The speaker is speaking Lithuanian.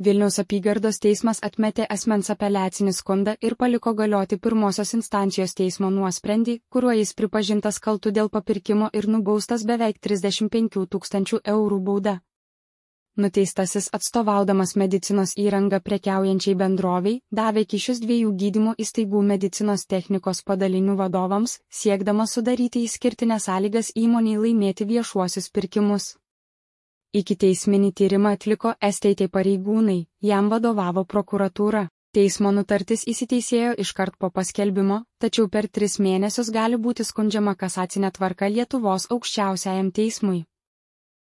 Vilniaus apygardos teismas atmetė asmens apeliacinį skundą ir paliko galioti pirmosios instancijos teismo nuosprendį, kuriuo jis pripažintas kaltu dėl papirkimo ir nubaustas beveik 35 000 eurų bauda. Nuteistasis atstovaudamas medicinos įrangą prekiaujančiai bendroviai, davė kyšius 2 gydymo įstaigų medicinos technikos padalinių vadovams, siekdamas sudaryti išskirtinės sąlygas įmonei laimėti viešuosius pirkimus. Ikiteisminį tyrimą atliko STT pareigūnai, jam vadovavo prokuratūra. Teismo nutartis įsiteisėjo iškart po paskelbimo, tačiau per 3 mėnesius gali būti skundžiama kasacinė tvarka Lietuvos aukščiausiajam teismui.